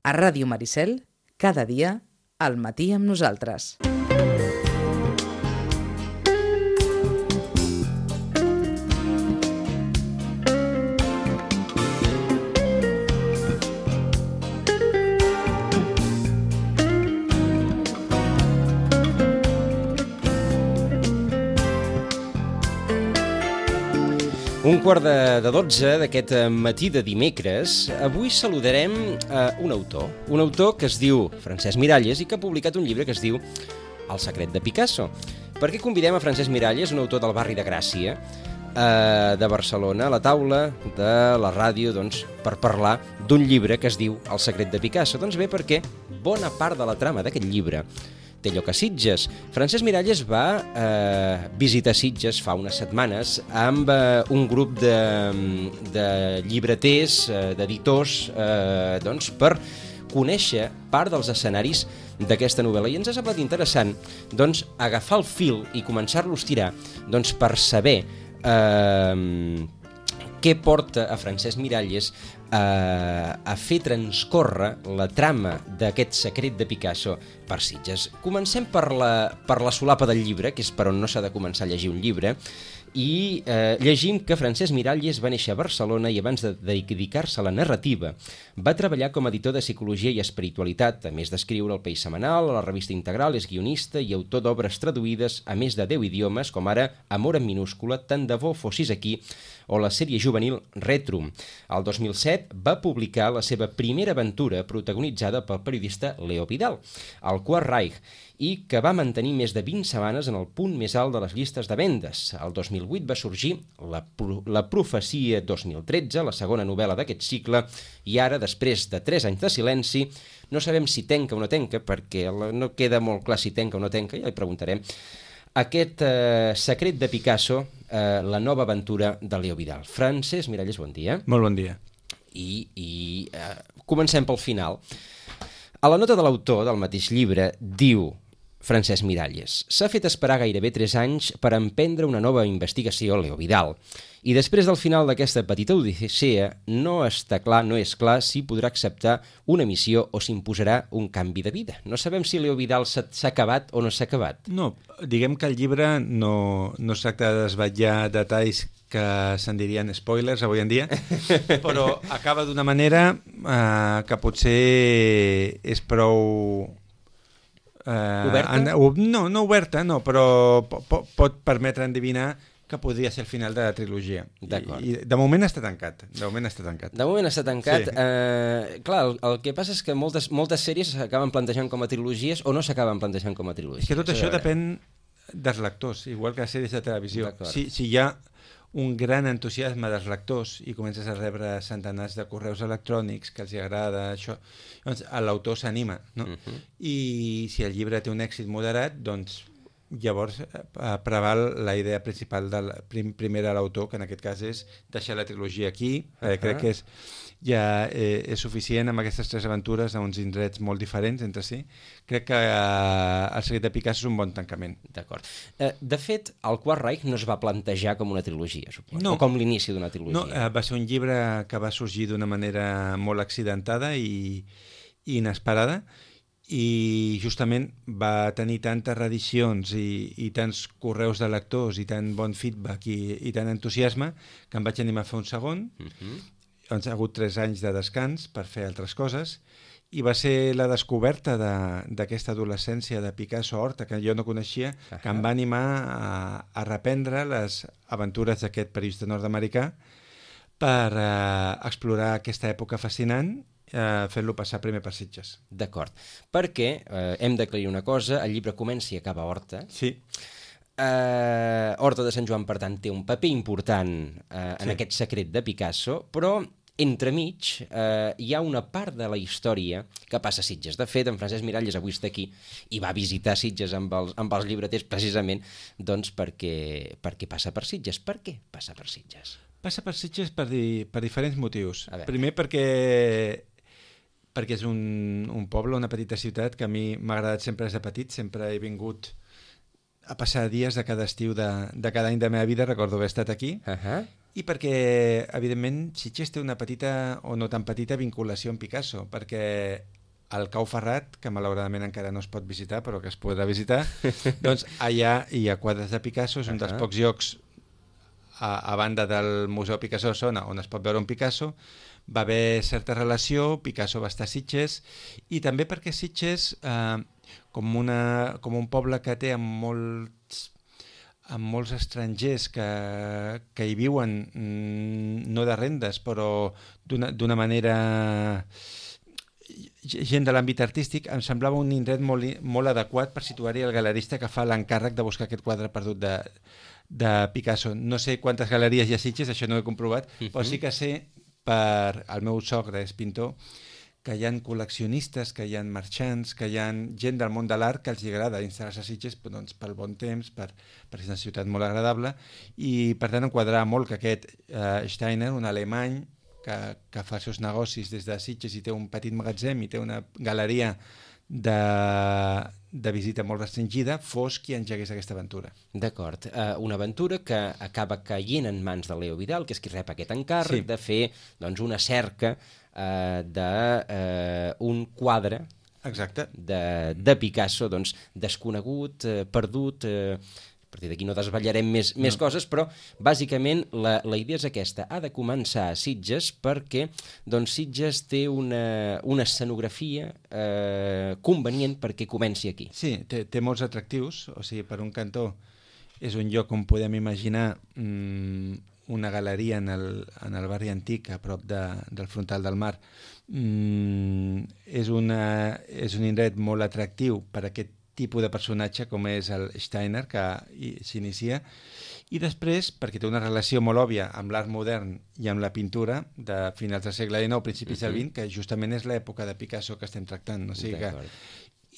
A Ràdio Maricel, cada dia, al matí amb nosaltres. Un quart de 12 d'aquest matí de dimecres. Avui saludarem un autor que es diu Francesc Miralles i que ha publicat un llibre que es diu El secret de Picasso. Per què convidem a Francesc Miralles, un autor del barri de Gràcia, de Barcelona, a la taula de la ràdio, doncs, per parlar d'un llibre que es diu El secret de Picasso? Doncs bé, perquè bona part de la trama d'aquest llibre té lloc a Sitges. Francesc Miralles va visitar Sitges fa unes setmanes amb un grup de llibreters, d'editors, doncs, per conèixer part dels escenaris d'aquesta novel·la. I ens ha semblat interessant, doncs, agafar el fil i començar-lo a estirar, doncs, per saber què porta a Francesc Miralles a fer transcórrer la trama d'aquest secret de Picasso per Sitges. Comencem per la solapa del llibre, que és per on no s'ha de començar a llegir un llibre, i llegim que Francesc Miralles va néixer a Barcelona i abans de dedicar-se a la narrativa va treballar com a editor de psicologia i espiritualitat, a més d'escriure al País Setmanal, a la revista Integral, és guionista i autor d'obres traduïdes a més de 10 idiomes, com ara Amor en minúscula, Tant de bo fossis aquí, o la sèrie juvenil Retrum. El 2007 va publicar la seva primera aventura protagonitzada pel periodista Leo Vidal, El Quart Reich, i que va mantenir més de 20 setmanes en el punt més alt de les llistes de vendes. El 2008 va sorgir La profecia 2013, la segona novel·la d'aquest cicle, i ara, després de 3 anys de silenci, no sabem si tenca o no tenca, perquè no queda molt clar si tenca o no tenca, ja li preguntarem, aquest secret de Picasso, la nova aventura de Leo Vidal. Francesc Miralles, bon dia. Molt bon dia. I comencem pel final. A la nota de l'autor del mateix llibre diu Francesc Miralles: s'ha fet esperar gairebé 3 anys per emprendre una nova investigació, Leo Vidal, i després del final d'aquesta petita odissea no és clar si podrà acceptar una missió o s'imposarà un canvi de vida. No sabem si Leo Vidal s'ha acabat o no s'ha acabat. No, diguem que el llibre no es tracta de desvetllar detalls que se'n dirien spoilers avui en dia, però acaba d'una manera que potser és prou... oberta? No oberta, no, però pot permetre endevinar que podria ser el final de la trilogia. D'acord. I de moment està tancat. De moment està tancat. Sí. Clar, el que passa és que moltes sèries s'acaben plantejant com a trilogies o no s'acaben plantejant com a trilogies. És que tot això depèn dels lectors, igual que les sèries de televisió. Si hi ha un gran entusiasme dels lectors i comences a rebre centenars de correus electrònics que els agrada això, doncs l'autor s'anima, no? I si el llibre té un èxit moderat, doncs llavors preval la idea principal primer de l'autor, que en aquest cas és deixar la trilogia aquí. Crec que és suficient amb aquestes 3 aventures a uns indrets molt diferents entre si. Crec que El secret de Picasso és un bon tancament. D'acord. De fet, El Quart Reich no es va plantejar com una trilogia, suposo, no, o com l'inici d'una trilogia. No, va ser un llibre que va sorgir d'una manera molt accidentada i inesperada, i justament va tenir tantes reedicions i tants correus de lectors i tant bon feedback i tant entusiasme que em vaig animar a fer un segon. Doncs ha hagut 3 anys de descans per fer altres coses i va ser la descoberta d'aquesta adolescència de Picasso a Horta, que jo no coneixia, que em va animar a reprendre les aventures d'aquest periodista nord-americà per explorar aquesta època fascinant, fent-lo passar primer per Sitges. D'acord, perquè hem d'aclarir una cosa, el llibre comença i acaba a Horta. Sí. Horta de Sant Joan, per tant, té un paper important en aquest secret de Picasso, però entremig hi ha una part de la història que passa a Sitges. De fet, en Francesc Miralles avui està aquí i va visitar Sitges amb els llibreters precisament doncs perquè passa per Sitges. Per què passa per Sitges? Passa per Sitges per diferents motius. Primer perquè és un poble, una petita ciutat que a mi m'ha agradat sempre des de petit, sempre he vingut a passar dies de cada estiu de cada any de la meva vida, recordo haver estat aquí, i perquè, evidentment, Sitges té una petita, o no tan petita, vinculació amb Picasso, perquè el Cau Ferrat, que malauradament encara no es pot visitar, però que es podrà visitar, doncs allà hi ha quadres de Picasso, és un dels pocs llocs a banda del Museu Picasso de Sona on es pot veure un Picasso. Va haver certa relació, Picasso va estar a Sitges, i també perquè Sitges, com un poble que té amb molts estrangers que hi viuen, no de rendes, però d'una manera... gent de l'àmbit artístic, em semblava un indret molt adequat per situar-hi el galerista que fa l'encàrrec de buscar aquest quadre perdut de Picasso. No sé quantes galeries hi ha a Sitges, això no ho he comprovat, però sí que sé, el meu sogre és pintor, que hi ha col·leccionistes, que hi ha marxants, que hi ha gent del món de l'art que els agrada instal·lar-se a Sitges, doncs, pel bon temps, perquè és una ciutat molt agradable, i per tant em quadrava molt que aquest Steiner, un alemany, que fa els seus negocis des de Sitges i té un petit magatzem i té una galeria de visita molt restringida, fos qui engegués aquesta aventura. D'acord. Una aventura que acaba caient en mans de Leo Vidal, que és qui rep aquest encàrrec de fer doncs, una cerca d'un quadre de Picasso doncs, desconegut, perdut... A partir d'aquí no desvetllarem més coses, però bàsicament la idea és aquesta. Ha de començar a Sitges perquè doncs, Sitges té una escenografia convenient perquè comenci aquí. Sí, té molts atractius. O sigui, per un cantó és un lloc on podem imaginar una galeria en el barri antic, a prop del frontal del mar. És un indret molt atractiu per aquest tipus de personatge com és el Steiner, que s'inicia, i després, perquè té una relació molt òbvia amb l'art modern i amb la pintura de finals del segle XIX, principis del XX, que justament és l'època de Picasso que estem tractant. O sigui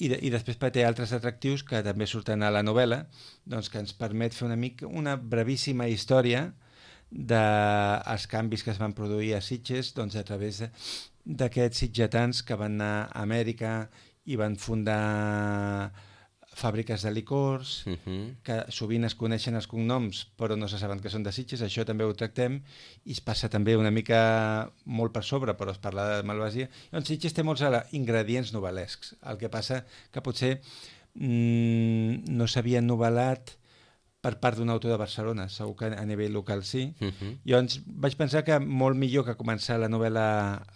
I després té altres atractius que també surten a la novel·la, doncs, que ens permet fer una brevíssima història dels canvis que es van produir a Sitges, doncs, a través d'aquests sitgetans que van anar a Amèrica i van fundar fàbriques de licors, que sovint es coneixen els cognoms però no se saben que són de Sitges. Això també ho tractem, i es passa també una mica molt per sobre, però es parla de malvasia. Doncs Sitges té molts ingredients novel·lescs, el que passa que potser no s'havien novel·lat per part d'un autor de Barcelona, segur que a nivell local sí. Llavors vaig pensar que molt millor que començar la novel·la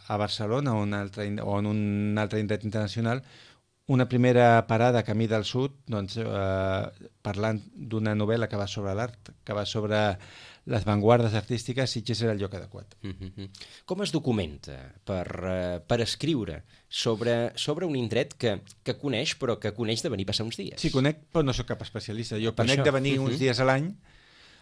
a Barcelona o en un altre indret internacional, una primera parada camí del sud, doncs, parlant d'una novel·la que va sobre l'art, que va sobre les vanguardes artístiques, Sitges era el lloc adequat. Com es documenta per escriure sobre un indret que coneix, però que coneix de venir a passar uns dies? Sí, conec, però no sóc cap especialista. Jo conec de venir uns dies a l'any.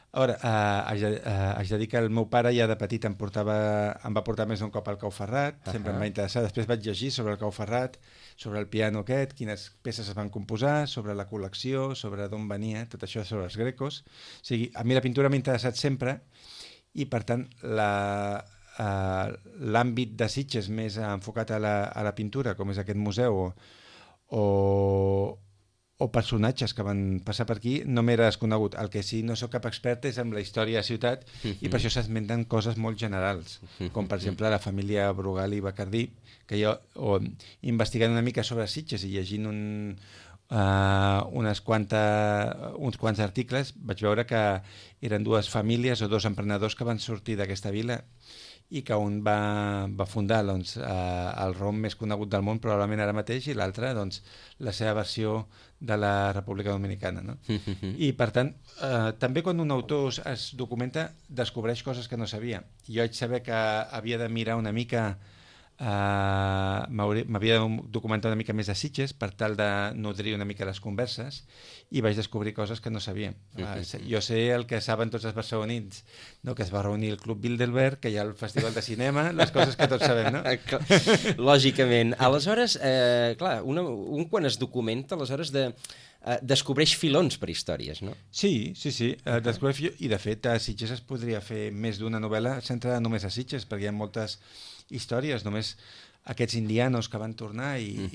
Ara, haig de dir que el meu pare ja de petit em va portar més d'un cop al Cau Ferrat, sempre em va interessar. Després vaig llegir sobre el Cau Ferrat, sobre el piano aquest, quines peces es van composar, sobre la col·lecció, sobre d'on venia, tot això sobre els grecos. O sigui, a mi la pintura m'ha interessat sempre, i per tant l'àmbit de Sitges més enfocat a la pintura, com és aquest museu, o personatges que van passar per aquí, no m'era desconegut. El que sí no sóc cap expert és en la història de la ciutat, i per això s'esmenten coses molt generals, com per exemple la família Brugal i Bacardí, que jo, investigant una mica sobre Sitges i llegint uns quants articles, vaig veure que eren dues famílies o dos emprenedors que van sortir d'aquesta vila, i que un va fundar doncs, el rom més conegut del món probablement ara mateix, i l'altre doncs, la seva versió de la República Dominicana, no? I per tant, també quan un autor es documenta descobreix coses que no sabia. Jo vaig saber que havia de mirar una mica, m'havia de documentar una mica més de Sitges per tal de nodrir una mica les converses, i vaig descobrir coses que no sabia. Jo sé el que saben tots els barcelonins, no? Que es va reunir el Club Bilderberg, que hi ha el Festival de Cinema, les coses que tots sabem, no? Lògicament. Aleshores, clar, un quan es documenta, aleshores descobreix filons per històries, no? Sí. Descobreix, i de fet a Sitges es podria fer més d'una novel·la centrada només a Sitges, perquè hi ha moltes històries, només aquests indianos que van tornar i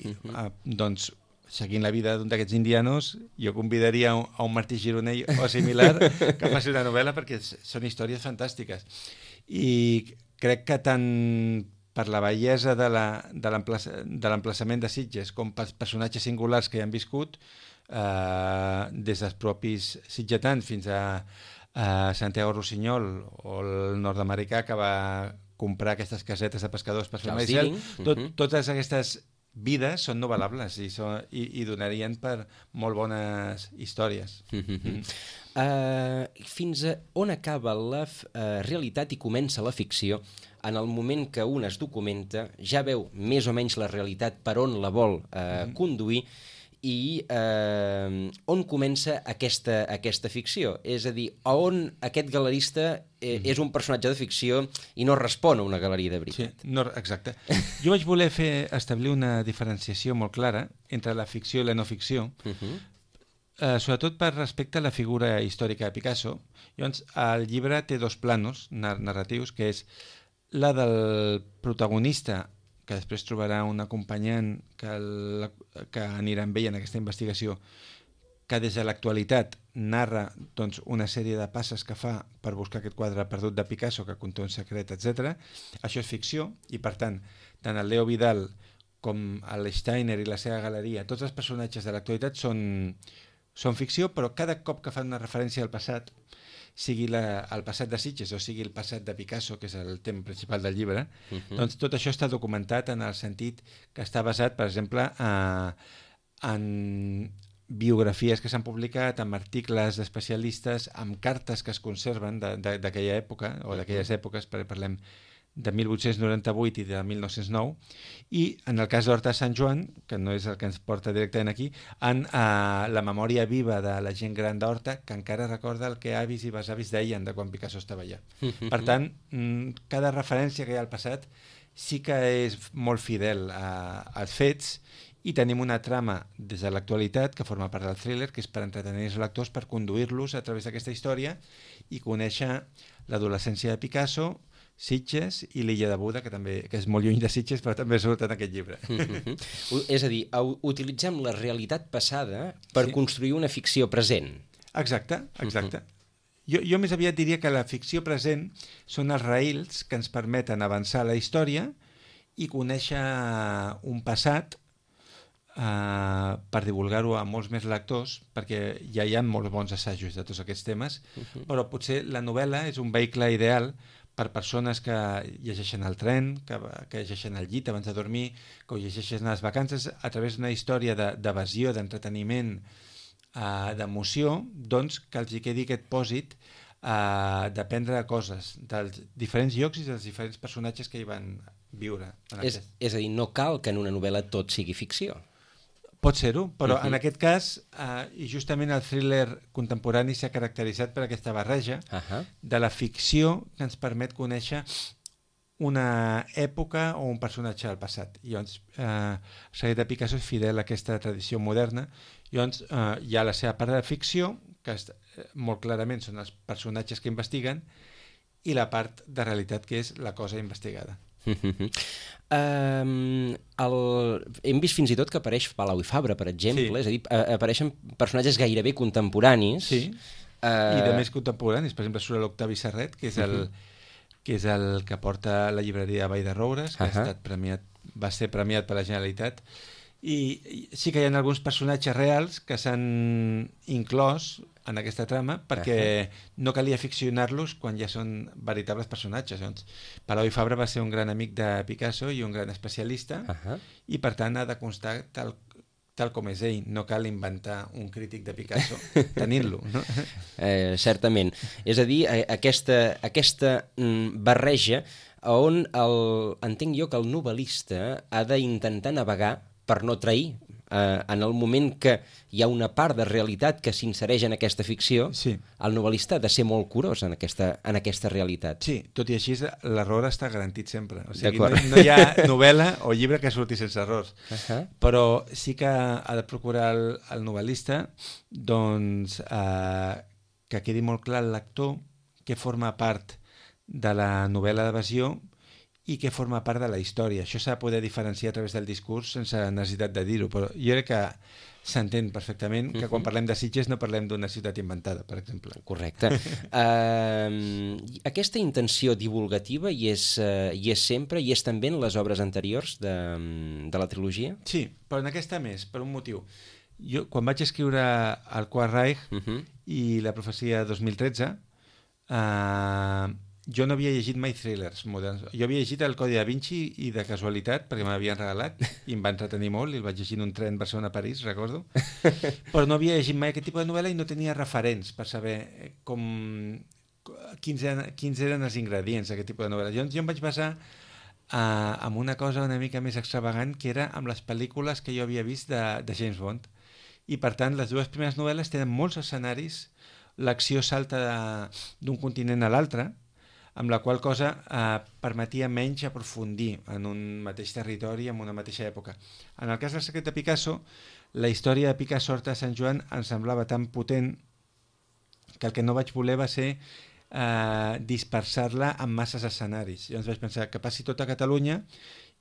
doncs seguint la vida d'un d'aquests indianos, jo convidaria a un Martí Gironell o similar que faci una novel·la, perquè són històries fantàstiques. I crec que tant per la bellesa de l'emplaçament de Sitges com pels personatges singulars que hi han viscut, des dels propis sitgetans fins a Santiago Rossinyol o el nord-americà que va comprar aquestes casetes de pescadors per fer maicel, totes aquestes vides són novel·lables i donarien per molt bones històries. Fins a on acaba la realitat i comença la ficció? En el moment que un es documenta, ja veu més o menys la realitat per on la vol conduir, i on comença aquesta ficció? És a dir, on aquest galerista és un personatge de ficció i no respon a una galeria de veritat. Sí, no, exacte. Jo vaig voler establir una diferenciació molt clara entre la ficció i la no ficció, sobretot per respecte a la figura històrica de Picasso. Llavors, el llibre té dos planos narratius, que és la del protagonista, que després trobarà un acompanyant que anirà amb ell en aquesta investigació, que des de l'actualitat narra doncs, una sèrie de passes que fa per buscar aquest quadre perdut de Picasso que conté un secret, etc. Això és ficció i, per tant, tant el Leo Vidal com el Steiner i la seva galeria, tots els personatges de l'actualitat són ficció, però cada cop que fan una referència al passat, sigui el passat de Sitges o sigui el passat de Picasso, que és el tema principal del llibre, doncs tot això està documentat en el sentit que està basat, per exemple, en biografies que s'han publicat, en articles d'especialistes, en cartes que es conserven d'aquella època, o d'aquelles èpoques, perquè parlem de 1898 i de 1909, i en el cas d'Horta de Sant Joan, que no és el que ens porta directament aquí, en la memòria viva de la gent gran d'Horta, que encara recorda el que avis i besavis deien de quan Picasso estava allà. Per tant, cada referència que hi ha al passat sí que és molt fidel als fets, i tenim una trama des de l'actualitat que forma part del thriller, que és per entretenir els lectors, per conduir-los a través d'aquesta història i conèixer l'adolescència de Picasso, Sitges i l'illa de Buda, que és molt lluny de Sitges, però també surt en aquest llibre. És a dir, utilitzem la realitat passada per construir una ficció present. Exacte. Jo més aviat diria que la ficció present són els raïls que ens permeten avançar la història i conèixer un passat per divulgar-ho a molts més lectors, perquè ja hi ha molts bons assajos de tots aquests temes, però potser la novel·la és un vehicle ideal per persones que llegeixen al tren, que llegeixen al llit abans de dormir, que ho llegeixen a les vacances, a través d'una història d'evasió, d'entreteniment, d'emoció, doncs que els hi quedi aquest pòsit d'aprendre coses dels diferents llocs i dels diferents personatges que hi van viure. És a dir, no cal que en una novel·la tot sigui ficció. Pot ser-ho, però en aquest cas, i justament el thriller contemporani s'ha caracteritzat per aquesta barreja de la ficció que ens permet conèixer una època o un personatge del passat. Llavors, el secret de Picasso és fidel a aquesta tradició moderna. Llavors, hi ha la seva part de ficció, que molt clarament són els personatges que investiguen, i la part de realitat, que és la cosa investigada. Hem vist fins i tot que apareix Palau i Fabra, per exemple, és a dir, apareixen personatges gairebé contemporanis. Sí, i de més contemporanis. Per exemple, surt l'Octavi Serret, que és el que porta la llibreria Vall de Roures, que ha estat premiat, va ser premiat per la Generalitat, i sí que hi ha alguns personatges reals que s'han inclòs en aquesta trama perquè no calia ficcionar-los quan ja són veritables personatges. Doncs, Palau i Fabra va ser un gran amic de Picasso i un gran especialista, i per tant ha de constar tal com és ell. No cal inventar un crític de Picasso tenint-lo. No? Certament. És a dir, aquesta barreja on entenc jo que el novel·lista ha d'intentar navegar per no trair. En el moment que hi ha una part de realitat que s'insereix en aquesta ficció, el novel·lista ha de ser molt curós en aquesta realitat. Sí, tot i així l'error està garantit sempre. O sigui, no hi ha novel·la o llibre que surti sense errors. Però sí que ha de procurar el novel·lista doncs, que quedi molt clar al lector que forma part de la novel·la d'evasió i què forma part de la història. Això s'ha de poder diferenciar a través del discurs sense necessitat de dir-ho, però jo crec que s'entén perfectament que quan parlem de Sitges no parlem d'una ciutat inventada, per exemple. Correcte. Aquesta intenció divulgativa hi és sempre, i és també en les obres anteriors de la trilogia? Sí, però en aquesta més, per un motiu. Jo, quan vaig escriure El Quart Reich i La profecia 2013, jo no havia llegit mai thrillers moderns. Jo havia llegit El Codi da Vinci i de casualitat, perquè me l'havien regalat i em va entretenir molt, i el vaig llegir en un tren Barcelona-París, recordo. Però no havia llegit mai aquest tipus de novel·la i no tenia referents per saber quins eren els ingredients d'aquest tipus de novel·la. Jo em vaig basar en una cosa una mica més extravagant, que era amb les pel·lícules que jo havia vist de James Bond. I per tant, les dues primeres novel·les tenen molts escenaris, l'acció salta d'un continent a l'altre, amb la qual cosa permetia menys aprofundir en un mateix territori, en una mateixa època. En el cas del secret de Picasso, la història de Picasso Horta de Sant Joan em semblava tan potent que el que no vaig voler va ser dispersar-la en masses escenaris. Llavors vaig pensar que passi tot a Catalunya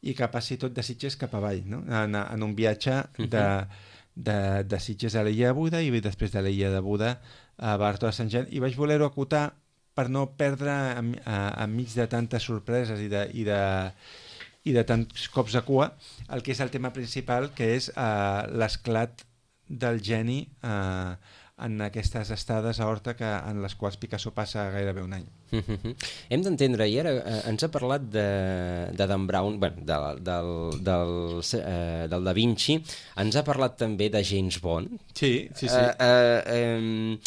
i que passi tot de Sitges cap avall, no? En un viatge de Sitges a l'illa de Buda i després de l'illa de Buda a Barto de Sant Joan, i vaig voler-ho acotar per no perdre enmig de tantes sorpreses i de tants cops de cua el que és el tema principal, que és l'esclat del geni en aquestes estades a Horta en les quals Picasso passa gairebé un any. Hem d'entendre, i ara ens ha parlat de Dan Brown, del Da Vinci, ens ha parlat també de James Bond. Sí. Hem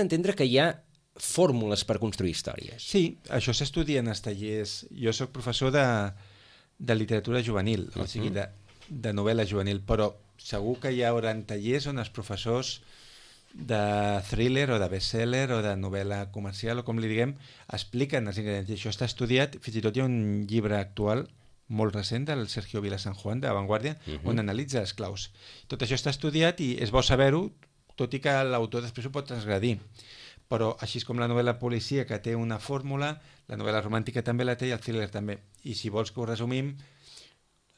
d'entendre que hi ha fórmules per construir històries. Sí, això s'estudia en els tallers. Jo sóc professor de literatura juvenil, o sigui, de novel·la juvenil, però segur que hi haurà tallers on els professors de thriller o de bestseller o de novel·la comercial, o com li diguem, expliquen els ingredients. I això està estudiat, fins i tot hi ha un llibre actual molt recent del Sergio Vila San Juan, de La Vanguardia, on analitza les claus. Tot això està estudiat i és bo saber-ho, tot i que l'autor després ho pot transgredir. Però així com la novel·la policia, que té una fórmula, la novel·la romàntica també la té i el thriller també. I si vols que ho resumim,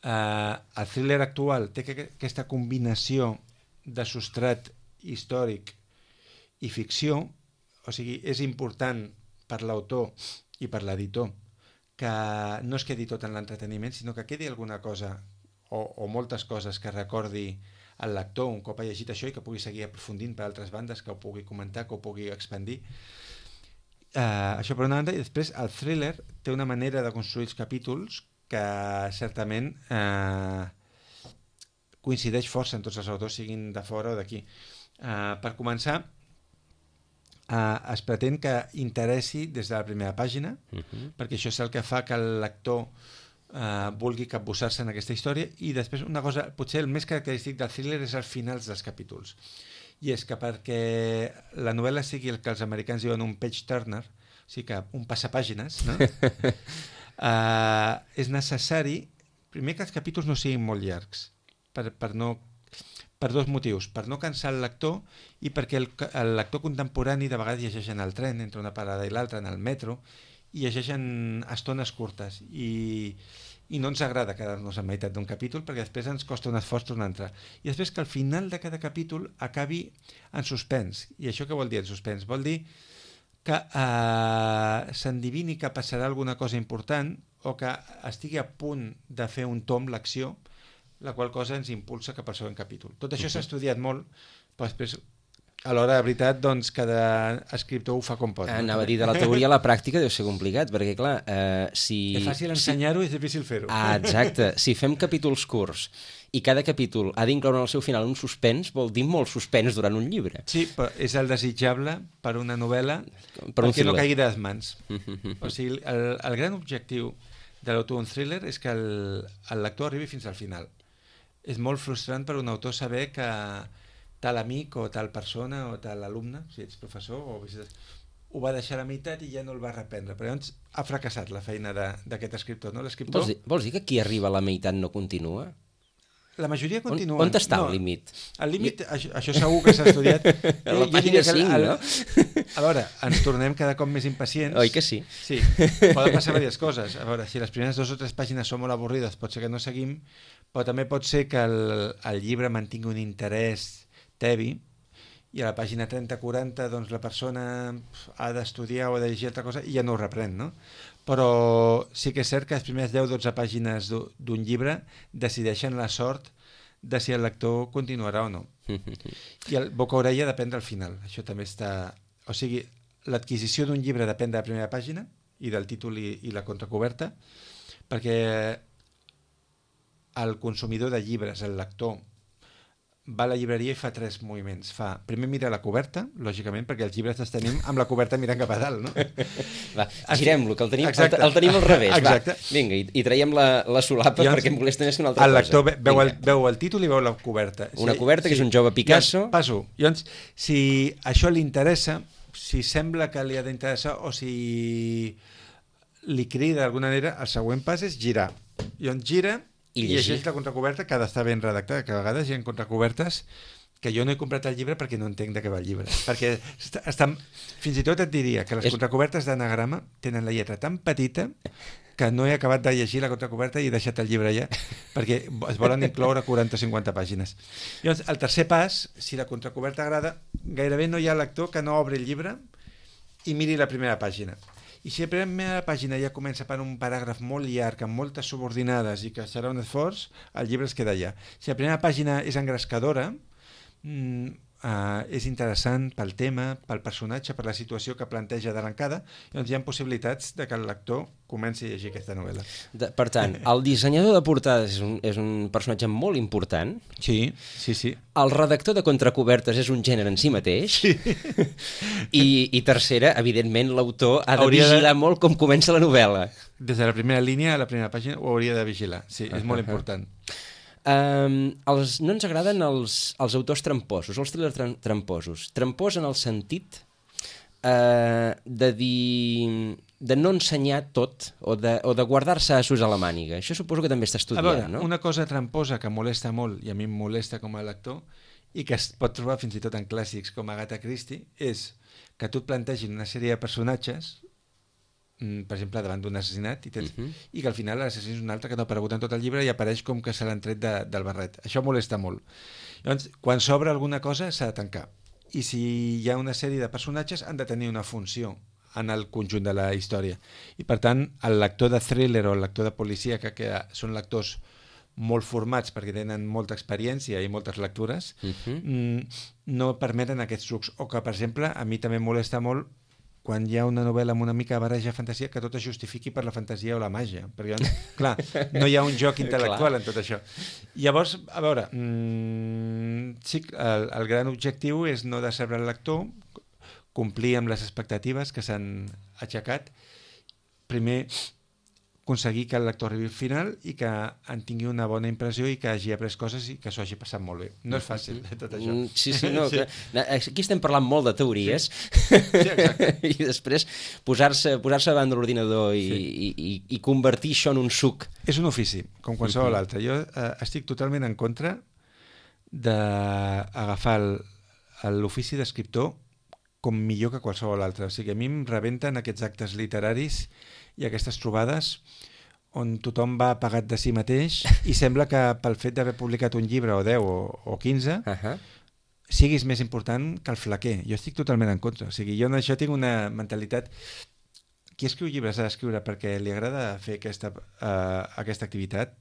el thriller actual té aquesta combinació de substrat històric i ficció, o sigui, és important per l'autor i per l'editor que no es quedi tot en l'entreteniment, sinó que quedi alguna cosa o moltes coses que recordi el lector un cop ha llegit això i que pugui seguir aprofundint per altres bandes, que ho pugui comentar, que ho pugui expandir. Això per una banda, i després el thriller té una manera de construir els capítols que certament coincideix força en tots els autors, siguin de fora o d'aquí. Per començar, es pretén que interessi des de la primera pàgina, perquè això és el que fa que el lector vulgui capbussar-se en aquesta història. I després una cosa, potser el més característic del thriller és els finals dels capítols, i és que perquè la novel·la sigui el que els americans diuen un page turner, o sigui que un passapàgines, no? És necessari primer que els capítols no siguin molt llargs, per dos motius: per no cansar el lector i perquè el lector contemporani de vegades llegeix en el tren entre una parada i l'altra, en el metro, i llegeixen estones curtes i no ens agrada quedar-nos a meitat d'un capítol, perquè després ens costa un esforç tornar a entrar. I després que al final de cada capítol acabi en suspens. I això què vol dir, el suspens? Vol dir que s'endivini que passarà alguna cosa important o que estigui a punt de fer un tomb l'acció, la qual cosa ens impulsa cap al següent capítol. Tot això s'ha estudiat molt, però després a l'hora de veritat, doncs, cada escriptor ho fa com pot. Anava a dir, de la teoria a la pràctica deu ser complicat, perquè clar, si... És fàcil ensenyar-ho i és difícil fer-ho. Exacte. Si fem capítols curts i cada capítol ha d'incloure en el seu final un suspens, vol dir molt suspens durant un llibre. Sí, però és el desitjable per una novel·la perquè no caigui de les mans. O sigui, el gran objectiu de l'autor d'un thriller és que el lector arribi fins al final. És molt frustrant per un autor saber que tal amic o tal persona o tal alumne, si ets professor o visites, ho va deixar a la meitat i ja no el va reprendre. Però llavors ha fracassat la feina d'aquest escriptor, no? L'escriptor... Vols dir que qui arriba a la meitat no continua? La majoria continuen. On està el límit? El límit, això segur que s'ha estudiat. A la pàgina 5, no? A veure, ens tornem cada cop més impacients. Oi que sí? Sí, poden passar diverses coses. A veure, si les primeres 2 o 3 pàgines són molt avorrides, pot ser que no seguim, però també pot ser que el llibre mantingui un interès tebi i a la pàgina 30-40 doncs, la persona ha d'estudiar o ha de llegir altra cosa i ja no ho reprèn, no? Però sí que és cert que les primeres 10-12 pàgines d'un llibre decideixen la sort de si el lector continuarà o no. I el boca-orella depèn del final. Això també està... O sigui, l'adquisició d'un llibre depèn de la primera pàgina i del títol i la contracoberta, perquè el consumidor de llibres, el lector, va a la llibreria i fa 3 moviments. Primer mira la coberta, lògicament, perquè els llibres els tenim amb la coberta mirant cap a dalt, no? Va, girem-lo, que el tenim al revés. Exacte. Va, vinga, i traiem la solapa perquè em molesta més que una altra cosa. El lector veu el títol i veu la coberta. Una coberta que és un jove Picasso. Passo. Llavors, si això li interessa, si sembla que li ha d'interessar o si li crida d'alguna manera, el següent pas és girar. Llavors gira i llegeix la contracoberta, que ha d'estar ben redactada, que a vegades hi ha contracobertes que jo no he comprat el llibre perquè no entenc de què va el llibre. Perquè fins i tot et diria que les contracobertes d'anagrama tenen la lletra tan petita que no he acabat de llegir la contracoberta i he deixat el llibre allà, perquè es volen incloure 40 o 50 pàgines. Llavors, el tercer pas, si la contracoberta agrada, gairebé no hi ha lector que no obri el llibre i miri la primera pàgina. I si la primera pàgina ja comença per un paràgraf molt llarg, amb moltes subordinades i que serà un esforç, el llibre es queda allà. Si la primera pàgina és engrescadora, és interessant pel tema, pel personatge, per la situació que planteja d'arrencada, doncs hi ha possibilitats de que el lector comenci a llegir aquesta novel·la. Per tant, el dissenyador de portades és un personatge molt important. Sí. El redactor de contracobertes és un gènere en si mateix. Sí. I tercera, evidentment, l'autor ha de vigilar molt com comença la novel·la. Des de la primera línia a la primera pàgina ho hauria de vigilar. Sí, és molt important. No ens agraden els autors tramposos, els thrillers tramposos. Trampós en el sentit de no ensenyar tot o de guardar-se assos a la màniga. Això suposo que també està estudiat, a veure, no? Una cosa tramposa que molesta molt, i a mi em molesta com a lector, i que es pot trobar fins i tot en clàssics com Agatha Christie, és que tu et plantegin una sèrie de personatges, per exemple, davant d'un assassinat, i que al final l'assassí és un altre que no ha aparegut en tot el llibre i apareix com que se l'han tret del barret. Això molesta molt. Llavors, quan s'obre alguna cosa s'ha de tancar. I si hi ha una sèrie de personatges han de tenir una funció en el conjunt de la història. I per tant, el lector de thriller o el lector de policia, que són lectors molt formats perquè tenen molta experiència i moltes lectures, no permeten aquests trucs. O que, per exemple, a mi també molesta molt quan hi ha una novel·la amb una mica de barreja de fantasia, que tot es justifiqui per la fantasia o la màgia. Perquè, clar, no hi ha un joc intel·lectual en tot això. Llavors, a veure, sí, el gran objectiu és no decebre el lector, complir amb les expectatives que s'han aixecat, primer aconseguir que el lector arribi al final i que en tingui una bona impressió i que hagi après coses i que s'ho hagi passat molt bé. No és fàcil, tot això. Sí, no, sí. Aquí estem parlant molt de teories, exacte. I després posar-se davant de l'ordinador i convertir això en un suc. És un ofici, com qualsevol altre. Jo estic totalment en contra d'agafar l'ofici d'escriptor com millor que qualsevol altre. O sigui, a mi em rebenten aquests actes literaris i aquestes trobades on tothom va pagat de si mateix i sembla que pel fet d'haver publicat un llibre o 10 o 15 siguis més important que el flaquer. Jo estic totalment en contra. O sigui, jo en això tinc una mentalitat... Qui escriu llibres ha d'escriure perquè li agrada fer aquesta activitat,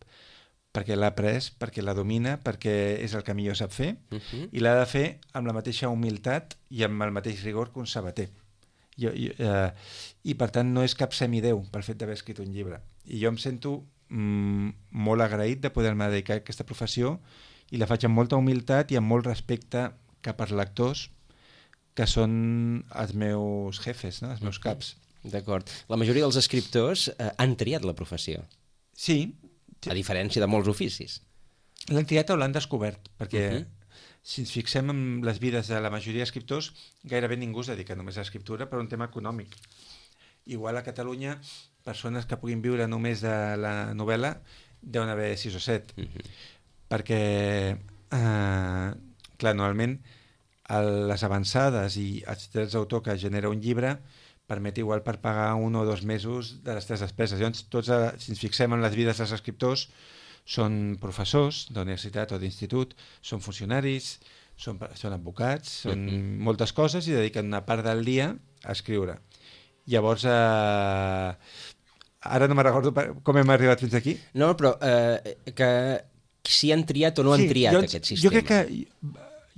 perquè l'ha après, perquè la domina, perquè és el que millor sap fer, i l'ha de fer amb la mateixa humilitat i amb el mateix rigor que un sabater. I per tant no és cap semideu pel fet d'haver escrit un llibre. I jo em sento molt agraït de poder-me dedicar a aquesta professió i la faig amb molta humilitat i amb molt respecte cap als lectors que són els meus jefes, no? Els meus caps. D'acord. La majoria dels escriptors han triat la professió. Sí. A diferència de molts oficis. L'han triat o l'han descobert, perquè si ens fixem en les vides de la majoria d'escriptors, gairebé ningú es dedica només a l'escriptura per un tema econòmic. Igual a Catalunya, persones que puguin viure només de la novel·la deuen haver 6 o 7. perquè, clar, normalment les avançades i els drets d'autor que genera un llibre permet igual per pagar 1 o 2 mesos de les teves despeses. Llavors, tots, si ens fixem en les vides dels escriptors, són professors d'universitat o d'institut, són funcionaris, són advocats, són moltes coses i dediquen una part del dia a escriure. Llavors, ara no me recordo com hem arribat fins aquí. No, però que si han triat o no han triat aquest sistema. Jo crec que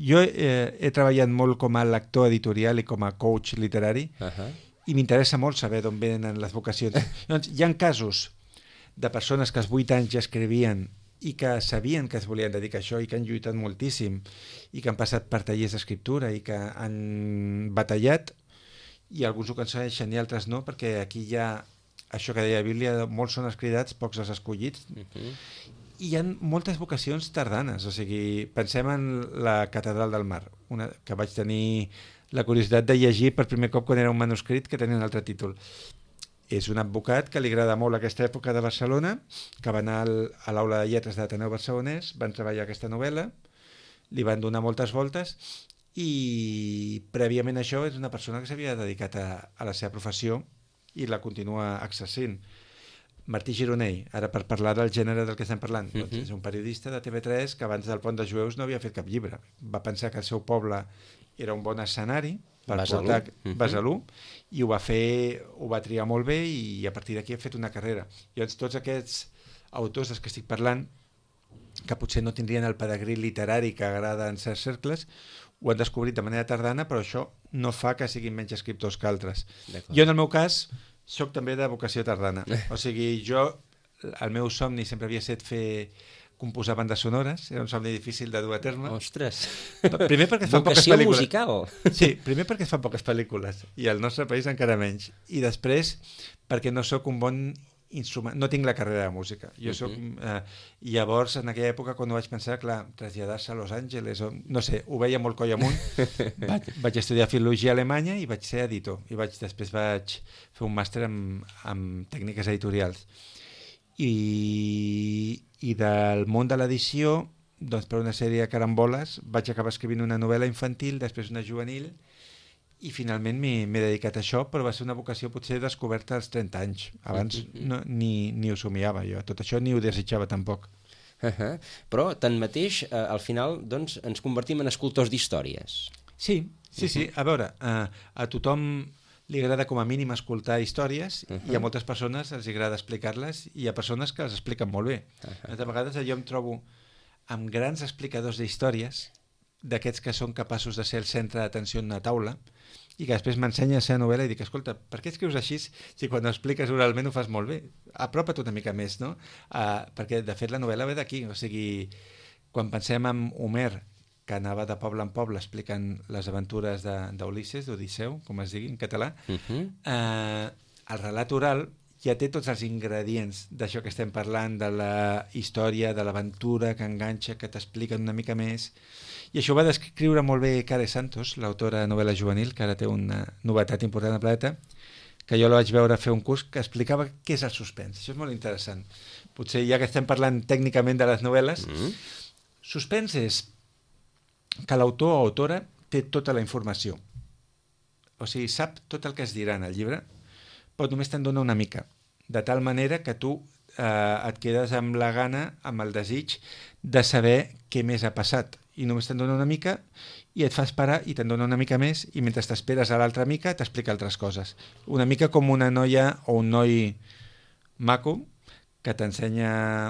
jo he treballat molt com a lector editorial i com a coach literari i m'interessa molt saber d'on venen les vocacions. Doncs, hi ha casos de persones que als 8 anys ja escrivien i que sabien que es volien dedicar a això i que han lluitat moltíssim i que han passat per tallers d'escriptura i que han batallat i alguns ho aconsegueixen i altres no, perquè aquí hi ha això que deia la Bíblia, molts són els cridats, pocs els escollits. I hi ha moltes vocacions tardanes, o sigui, pensem en la Catedral del Mar, que vaig tenir la curiositat de llegir per primer cop quan era un manuscrit que tenia un altre títol. És un advocat que li agrada molt aquesta època de Barcelona, que va anar a l'aula de lletres de l'Ateneu Barcelonès, van treballar aquesta novel·la, li van donar moltes voltes i prèviament a això és una persona que s'havia dedicat a la seva professió i la continua exercint. Martí Gironell, ara per parlar del gènere del que estem parlant, doncs és un periodista de TV3 que abans del Pont de Jueus no havia fet cap llibre. Va pensar que el seu poble era un bon escenari per portar Besalú i ho va triar molt bé i a partir d'aquí ha fet una carrera. Llavors tots aquests autors dels que estic parlant, que potser no tindrien el pedigrí literari que agrada en certs cercles, ho han descobrit de manera tardana, però això no fa que siguin menys escriptors que altres. Jo, en el meu cas, soc també de vocació tardana. O sigui, el meu somni sempre havia estat composar bandes sonores, era un somni difícil de dur a terme. Ostres! Primer perquè es fan poques pel·lícules. Musical! Sí, primer perquè es fan poques pel·lícules, i al nostre país encara menys. I després perquè no sóc un bon instrument, no tinc la carrera de música. Jo soc, llavors, en aquella època, quan ho vaig pensar, clar, traslladar-se a Los Angeles, no sé, ho veia molt coll amunt, vaig estudiar filologia a Alemanya i vaig ser editor, i després vaig fer un màster en tècniques editorials. I del món de l'edició, doncs per una sèrie de caramboles, vaig acabar escrivint una novel·la infantil, després una juvenil, i finalment m'he dedicat a això, però va ser una vocació potser descoberta als 30 anys. Abans ni ho somiava jo, tot això ni ho desitjava tampoc. Però, tanmateix, al final doncs, ens convertim en escultors d'històries. Sí. A veure, a tothom li agrada com a mínim escoltar històries i a moltes persones els agrada explicar-les i hi ha persones que les expliquen molt bé. De vegades jo em trobo amb grans explicadors d'històries, d'aquests que són capaços de ser el centre d'atenció en una taula i que després m'ensenya la seva novel·la i dic, escolta, per què escrius així si quan ho expliques oralment ho fas molt bé? Apropa't una mica més, no? Perquè, de fet, la novel·la ve d'aquí. O sigui, quan pensem en Homer, que anava de poble en poble explicant les aventures d'Ulisses, d'Odisseu, com es digui en català, el relat oral ja té tots els ingredients d'això que estem parlant, de la història, de l'aventura que enganxa, que t'expliquen una mica més. I això ho va descriure molt bé Care Santos, l'autora de novel·la juvenil, que ara té una novetat important al planeta, que jo la vaig veure fer un curs que explicava què és el suspens. Això és molt interessant. Potser ja que estem parlant tècnicament de les novel·les, suspens és que l'autor o autora té tota la informació. O sigui, sap tot el que es dirà en el llibre, però només te'n dona una mica. De tal manera que tu et quedes amb la gana, amb el desig de saber què més ha passat. I només te'n dona una mica i et fa esperar i te'n dona una mica més i mentre t'esperes a l'altra mica t'explica altres coses. Una mica com una noia o un noi maco que t'ensenya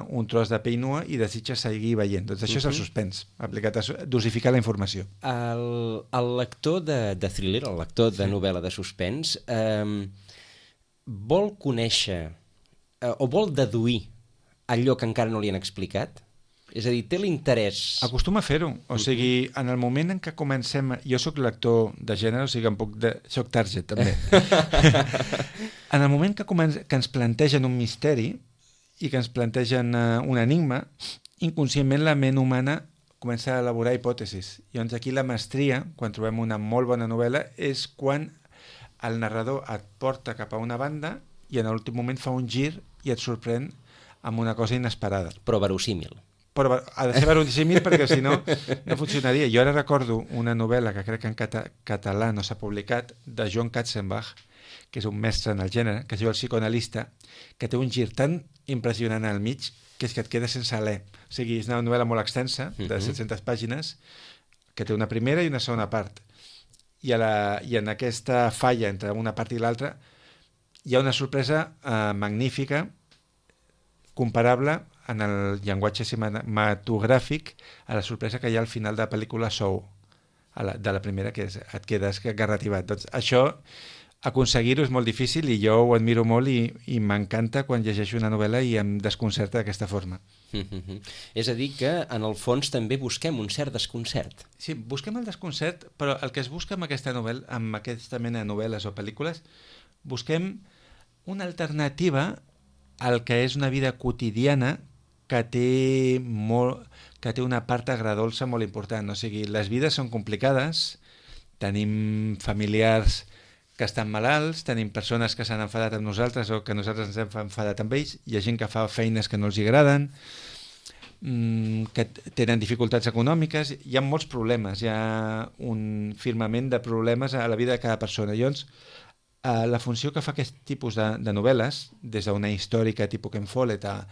un tros de pell nua i desitja seguir veient. Doncs això és el suspens, aplicat a dosificar la informació. El lector de thriller, el lector de novel·la de suspens, vol conèixer o vol deduir allò que encara no li han explicat? És a dir, té l'interès... Acostuma a fer-ho. O sigui, en el moment en què comencem... Jo sóc lector de gènere, o sigui, sóc target, també. En el moment que ens plantegen un misteri i que ens plantegen un enigma, inconscientment la ment humana comença a elaborar hipòtesis. I doncs aquí la mestria, quan trobem una molt bona novel·la, és quan el narrador et porta cap a una banda i en l'últim moment fa un gir i et sorprèn amb una cosa inesperada. Però verosímil. però ha de ser verosímil perquè si no, no funcionaria. Jo ara recordo una novel·la que crec que en català no s'ha publicat, de John Katzenbach, que és un mestre en el gènere, que es diu El psicoanalista, que té un gir tan impressionant al mig que és que et quedes sense alè. O sigui, és una novel·la molt extensa, de 700 pàgines, que té una primera i una segona part. I en aquesta falla entre una part i l'altra hi ha una sorpresa magnífica, comparable en el llenguatge cinematogràfic a la sorpresa que hi ha al final de la pel·lícula Soul, de la primera, que et quedes garrativat. Doncs això, aconseguir-ho és molt difícil i jo ho admiro molt i m'encanta quan llegeixo una novel·la i em desconcerta d'aquesta forma. És a dir que, en el fons, també busquem un cert desconcert. Sí, busquem el desconcert, però el que es busca amb aquesta novel·la, amb aquesta mena de novel·les o pel·lícules, busquem una alternativa al que és una vida quotidiana que té una part agradolça molt important. O sigui, les vides són complicades, tenim familiars que estan malalts, tenim persones que s'han enfadat amb nosaltres o que nosaltres ens hem enfadat amb ells, hi ha gent que fa feines que no els agraden, que tenen dificultats econòmiques, hi ha molts problemes, hi ha un firmament de problemes a la vida de cada persona. Llavors, la funció que fa aquest tipus de novel·les, des d'una històrica tipus Ken Follett a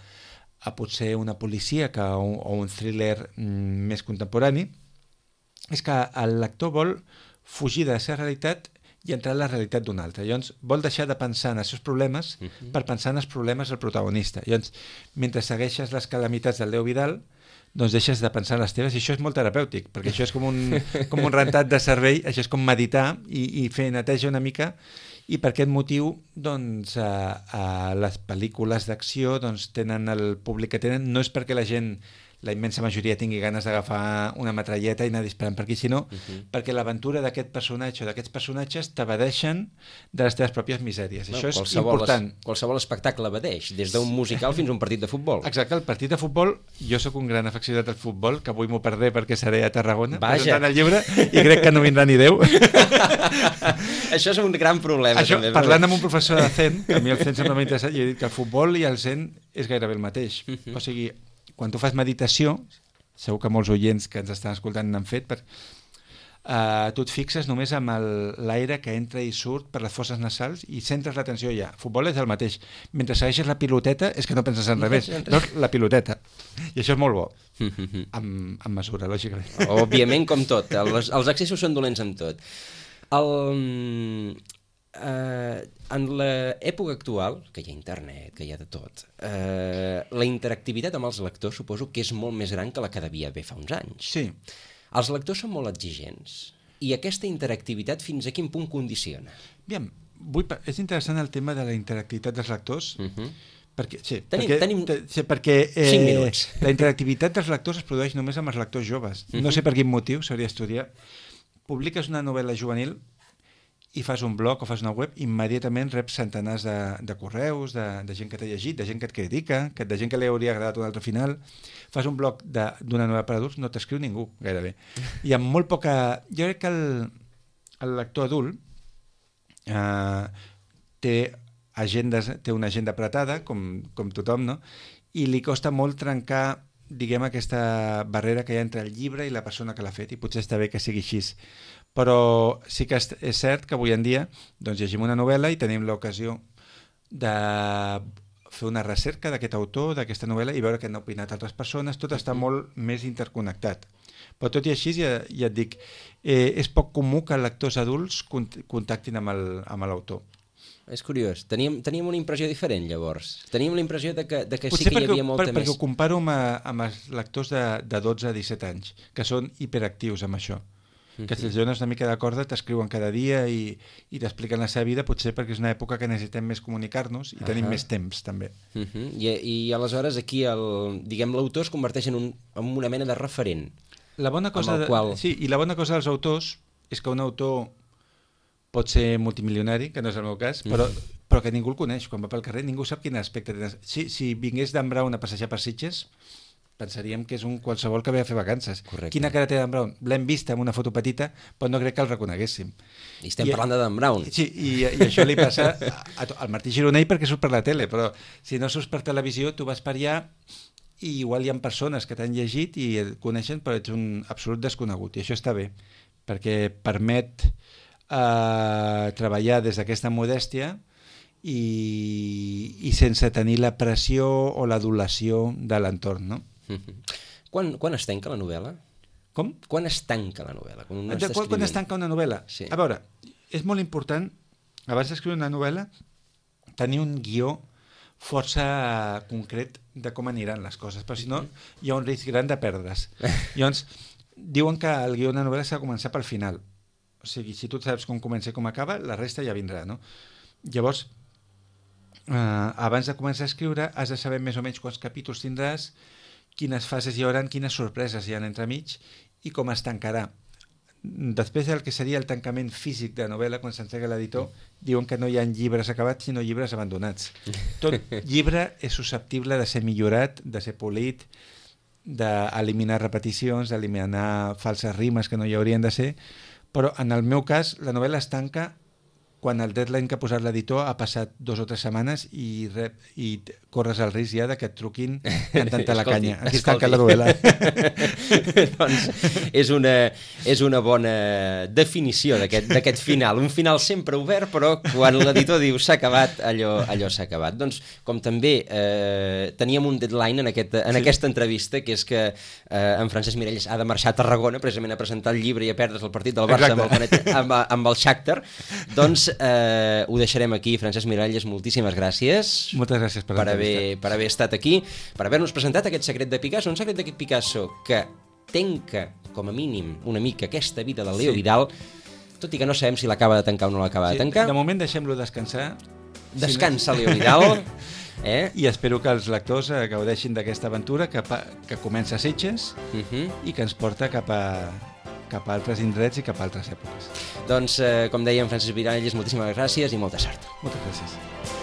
potser una policíaca o un thriller més contemporani, és que el lector vol fugir de la seva realitat i entrar en la realitat d'un altre. Llavors, vol deixar de pensar en els seus problemes per pensar en els problemes del protagonista. Llavors, mentre segueixes les calamitats del Déu Vidal, doncs deixes de pensar en les teves, i això és molt terapèutic, perquè això és com un rentat de cervell, això és com meditar i fer neteja una mica, i per aquest motiu doncs, les pel·lícules d'acció doncs, tenen el públic que tenen, no és perquè la gent, la immensa majoria, tingui ganes d'agafar una metralleta i anar disparant per aquí, sinó perquè l'aventura d'aquest personatge o d'aquests personatges t'evadeixen de les teves pròpies misèries. Això és important. Qualsevol espectacle evadeix, des d'un musical fins a un partit de futbol. Exacte, el partit de futbol, jo sóc un gran afeccionat al futbol, que avui m'ho perdré perquè seré a Tarragona presentant el llibre i crec que no vindrà ni Déu. Això és un gran problema. Això, també, parlant amb un professor de Zen, que a mi el Zen sempre m'ha interessat, i he dit que el futbol i el Zen és gairebé el mateix. O sigui, quan tu fas meditació, segur que molts oients que ens estan escoltant n'han fet, tu et fixes només amb l'aire que entra i surt per les fosses nasals i centres l'atenció allà. Futbol és el mateix. Mentre segueixes la piloteta és que no penses en res, doncs la piloteta. I això és molt bo, amb mesura, lògicament. Òbviament, com tot. Els excessos són dolents amb tot. En l'època actual, que hi ha internet, que hi ha de tot, la interactivitat amb els lectors suposo que és molt més gran que la que devia haver fa uns anys. Sí. Els lectors són molt exigents i aquesta interactivitat fins a quin punt condiciona? Aviam, és interessant el tema de la interactivitat dels lectors, perquè, tenim 5 minuts. La interactivitat dels lectors es produeix només amb els lectors joves. No sé per quin motiu, s'hauria d'estudiar. Publiques una novel·la juvenil i fas un blog o fas una web, immediatament reps centenars de correus, de gent que t'ha llegit, de gent que et critica, de gent que li hauria agradat un altre final. Fas un blog d'una novel·la per adults, no t'escriu ningú, gairebé. I amb molt poca... Jo crec que el lector adult té una agenda apretada, com tothom, no? I li costa molt trencar, diguem, aquesta barrera que hi ha entre el llibre i la persona que l'ha fet, i potser està bé que sigui així. Però sí que és cert que avui en dia doncs, llegim una novel·la i tenim l'ocasió de fer una recerca d'aquest autor, d'aquesta novel·la, i veure què han opinat altres persones. Tot està molt més interconnectat. Però tot i així, ja et dic, és poc comú que lectors adults contactin amb l'autor. És curiós. Teníem una impressió diferent, llavors. Teníem la impressió de que sí que hi havia molta més... Perquè ho comparo amb els lectors de 12 a 17 anys, que són hiperactius amb això. Que si els dones una mica de corda t'escriuen cada dia i t'expliquen la seva vida, potser perquè és una època que necessitem més comunicar-nos i tenim més temps, també. I aleshores aquí l'autor es converteix en una mena de referent. La bona cosa dels autors és que un autor pot ser multimilionari, que no és el meu cas, però que ningú el coneix. Quan va pel carrer ningú sap quin aspecte té. Si vingués d'en Brown a passejar per Sitges, pensaríem que és un qualsevol que ve a fer vacances. Correcte. Quina cara té d'en Brown? L'hem vista en una foto petita, però no crec que el reconeguéssim. I estem parlant de d'en Brown. Sí, i això li passa al Martí Gironell perquè surt per la tele, però si no surts per televisió, tu vas per allà i igual hi ha persones que t'han llegit i et coneixen, però ets un absolut desconegut, i això està bé, perquè permet treballar des d'aquesta modèstia i sense tenir la pressió o l'adulació de l'entorn, no? Quan es tanca la novel·la? Com? Quan es tanca la novel·la? Quan es tanca una novel·la? Sí. A veure, és molt important, abans d'escriure una novel·la, tenir un guió força concret de com aniran les coses, però si no hi ha un risc gran de perdre's. Llavors, diuen que el guió d'una novel·la s'ha de començar pel final. O sigui, si tu saps com comença i com acaba, la resta ja vindrà, no? Llavors, abans de començar a escriure has de saber més o menys quants capítols tindràs, quines fases hi haurà, quines sorpreses hi ha entremig i com es tancarà. Després del que seria el tancament físic de novel·la, quan s'entrega l'editor, diuen que no hi ha llibres acabats sinó llibres abandonats. Tot llibre és susceptible de ser millorat, de ser polit, d'eliminar repeticions, d'eliminar falses rimes que no hi haurien de ser, però en el meu cas la novel·la es tanca quan el deadline que ha posat l'editor ha passat 2 o 3 setmanes i corres el risc ja de que et truquin cantant-te la canya. Aquí es tanca la novel·la. Doncs és una bona definició d'aquest final. Un final sempre obert, però quan l'editor diu s'ha acabat, allò s'ha acabat. Doncs com també teníem un deadline en aquesta entrevista, que és que en Francesc Miralles ha de marxar a Tarragona precisament a presentar el llibre i a perdre's el partit del Barça amb el Shakhtar, doncs ho deixarem aquí. Francesc Miralles, moltíssimes gràcies. Moltes gràcies per haver estat aquí, per haver-nos presentat aquest secret de Picasso, un secret de Picasso que tanca, com a mínim, una mica aquesta vida de Leo Vidal, tot i que no sabem si l'acaba de tancar o no l'acaba de tancar. De moment deixem-lo descansar. Descansa Leo Vidal. I espero que els lectors gaudeixin d'aquesta aventura que comença a Sitges i que ens porta cap a altres indrets i cap a altres èpoques. Doncs, com dèiem, Francesc Miralles, moltíssimes gràcies i molta sort. Moltes gràcies.